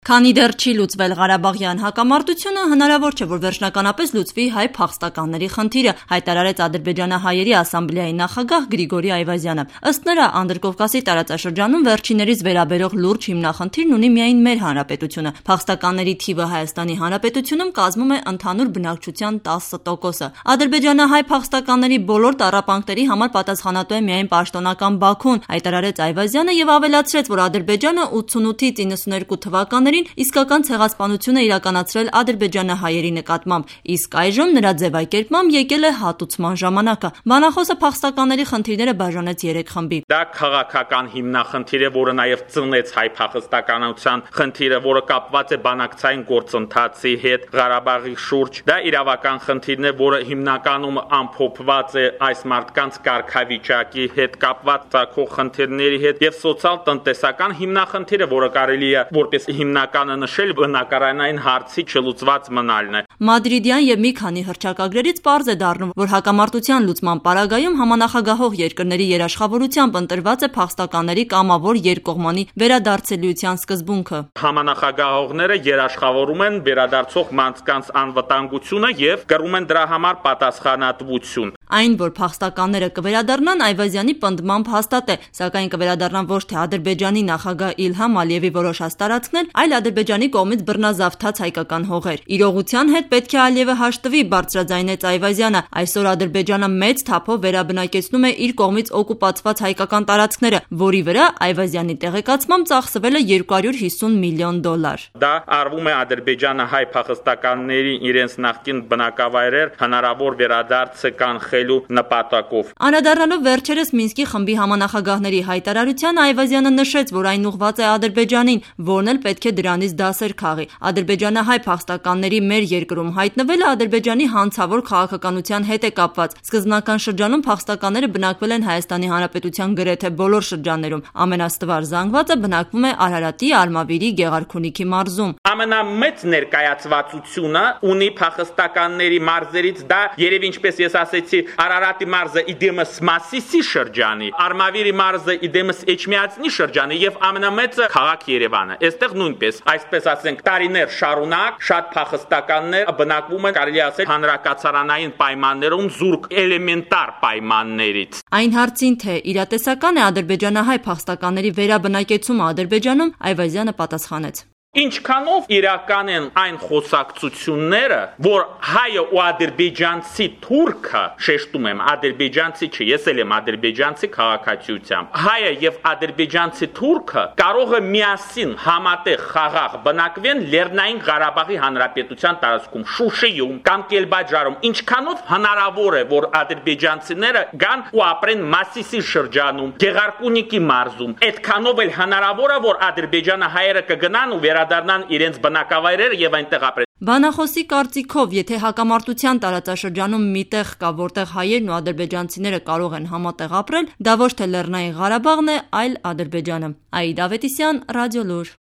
Քանի դեռ չի լուծվել Ղարաբաղյան հակամարտությունը, հնարավոր չէ, որ վերջնականապես լուծվի հայ փախստականների խնդիրը, հայտարարեց Ադրբեջանահայերի ասամբլեայի նախագահ Գրիգորի Այվազյանը։ Ըստ նրա, Անդրկովկասի տարածաշրջանում վերջիններիս վերաբերող լուրջ հիմնախնդիրն ունի միայն մեր հանրապետությունը։ Փախստականների թիվը Հայաստանի Հանրապետությունում կազմում է ընդհանուր բնակչության 10%-ը։ Ադրբեջանահայ փախստականների բոլոր տառապանքների համար պատասխանատու է միայն պաշտոնական Բաքուն, հայտարարեց Այվազյանը եւ ավելացրեց, որ Ադրբեջանը 88-ից 92 թվականներին իսկական ցեղասպանություն է իրականացրել ադրբեջանահայերի նկատմամբ, իսկ այժմ նրա ձևակերպմամբ եկել է հատուցման ժամանակը։ Բանախոսը փախստականների խնդիրները բաժանեց 3 խմբի։ Դա քաղաքական հիմնախնդիր է, որը նաև ծնեց հայ փախստականության խնդիրը, որը կապված է բանակցային գործընթացի հետ Ղարաբաղի շուրջ։ Դա իրավական խնդիրն է, որը հիմնականում ամփոփված է այս մարդկանց կարգավիճակի հետ կապված ցակող խնդիրների հետ եւ սոցիալ-տնտեսական հիմնախնդիրը, որը կարելի է որպես հիմնականը նշել բնակարանային հարցի չլուծված մնալն է։ Մադրիդյան եւ մի քանի հռչակագրերից պարզ է դառնում, որ հակամարտության լուծման պարագայում համանախագահող երկրների երաշխավորությամբ ընտրված է փախստականների կամավոր երկկողմանի վերադարձելիության սկզբունքը։ Համանախագահողները երաշխավորում են վերադարձող մարդկանց անվտանգությունը եւ կրում են դրա համար պատասխանատվություն։ Այն, որ փախստականները կվերադառնան, Այվազյանի պնդմամբ հաստատ է, սակայն կվերադառնան ոչ թե Ադրբեջանի նախագահ Իլհամ Ալիևի որոշած տարածքներ, այլ Ադրբեջանի կողմից բռնազավթած հայկական հողեր։ Իրողության հետ պետք է Ալիևը հաշտվի, բարձրաձայնեց Այվազյանը։ Այսօր Ադրբեջանը մեծ թափով վերաբնակեցնում է իր կողմից օկուպացված հայկական տարածքները, որի վրա Այվազյանի տեղեկացմամբ ծախսվել է $250 միլիոն։ Դա արվում է ադրբեջանահայ փախստականների իրենց նախկին բնակավայրեր հնարավոր վերադարձը կանխելու նպատակով։ Անդրադառնալով վերջերս Մինսկի խմբի համանախագահների հայտարարության, Այվազյանը նշեց, որ այն ուղղված է Ադրբեջանին, որն էլ պետք է դրանից դասեր քաղի։ Ադրբեջանահայ փախստականների մեր երկրում հայտնվելը Ադրբեջանի հանցավոր քաղաքականության հետ է կապված։ Սկզբնական շրջանում փախստականները բնակվել են Հայաստանի Հանրապետության գրեթե բոլոր շրջաններում։ Ամենաստվար զանգվածը բնակվում է Արարատի, Արմավիրի, Գեղարքունիքի մարզում։ Ամենամեծ ներկայացվածությունը ունի փախստականների մարզերից դա երևի ինչպես ես ասեցի Արարատի մարզը իդեմս Մասիսի շրջանի, Արմավիրի մարզը իդեմս Էջմիածնի շրջանի եւ ամենամեծը քաղաք Երևանը։ Այստեղ նույնպես, այսպես ասենք, տարիներ շարունակ շատ փախստականներ բնակվում են, կարելի ասել, հանրակացարանային պայմաններում զուրկ էլեմենտար պայմաններից։ Այն հարցին, թե իրատեսական է ադրբեջանահայ փախստականների վերաբնակեցումը Ադրբեջանում, Այվազյանը պատասխանեց. Ինչքանով իրական են այն խոսակցությունները, որ հայը ու ադրբեջանցի թուրքը, շեշտում եմ, ադրբեջանցի չէ, ես էլ եմ ադրբեջանցի քաղաքացիությամբ, հայը եւ ադրբեջանցի թուրքը կարող է միասին համատեղ խաղաղ բնակվեն Լեռնային Ղարաբաղի Հանրապետության տարածքում, Շուշիում կամ Կելբաջարում, ինչքանով հնարավոր է, որ ադրբեջանցիները գան ու ապրեն Մասիսի շրջանում, Գեղարքունիքի մարզում, այդքանով էլ հնարավոր է, որ ադրբեջանը հայերը կգնան ու դառնան իրենց բնակավայրերը եւ այնտեղ ապրեն։ Բանախոսի կարծիքով, եթե հակամարտության տարածաշրջանում մի տեղ կա, որտեղ հայերն ու ադրբեջանցիները կարող են համատեղ ապրել, դա ոչ թե Լեռնային Ղարաբաղն է, այլ Ադրբեջանը։ Աիդ Ավետիսյան, Ռադիոլուր։